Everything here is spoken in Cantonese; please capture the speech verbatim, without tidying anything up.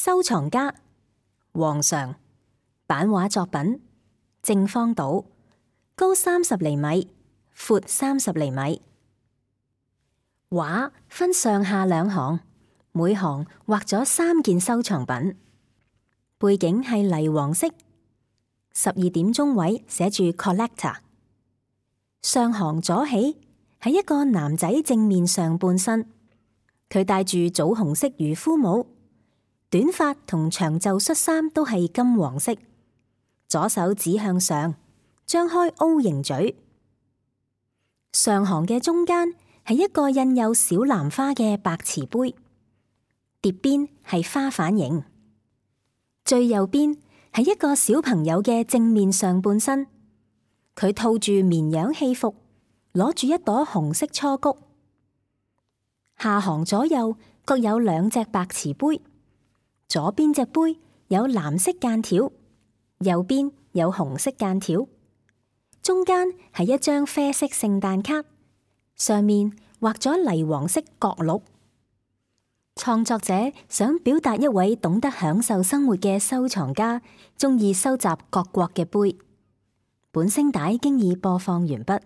收藏家黃常，版畫作品正方島，高三十厘米，闊三十厘米。畫分上下兩行，每行畫咗三件收藏品。背景係泥黃色，十二點鐘位寫住 Collector。上行左起係一個男仔正面上半身，佢戴住棗紅色漁夫帽。短髮同長袖恤衫都係金黃色，左手指向上，張開 O 型嘴。上行嘅中間係一個印有小蘭花嘅白瓷杯，碟邊係花瓣形。最右邊係一個小朋友嘅正面上半身，佢套住綿羊戲服，攞住一朵紅色雛菊。下行左右各有兩隻白瓷杯。左邊隻杯有藍色間條，右邊有紅色間條，中間係一張啡色聖誕卡，上面畫咗泥黃色角鹿。創作者想表達一位懂得享受生活嘅收藏家，鍾意收集各國嘅杯。本聲帶經已播放完畢。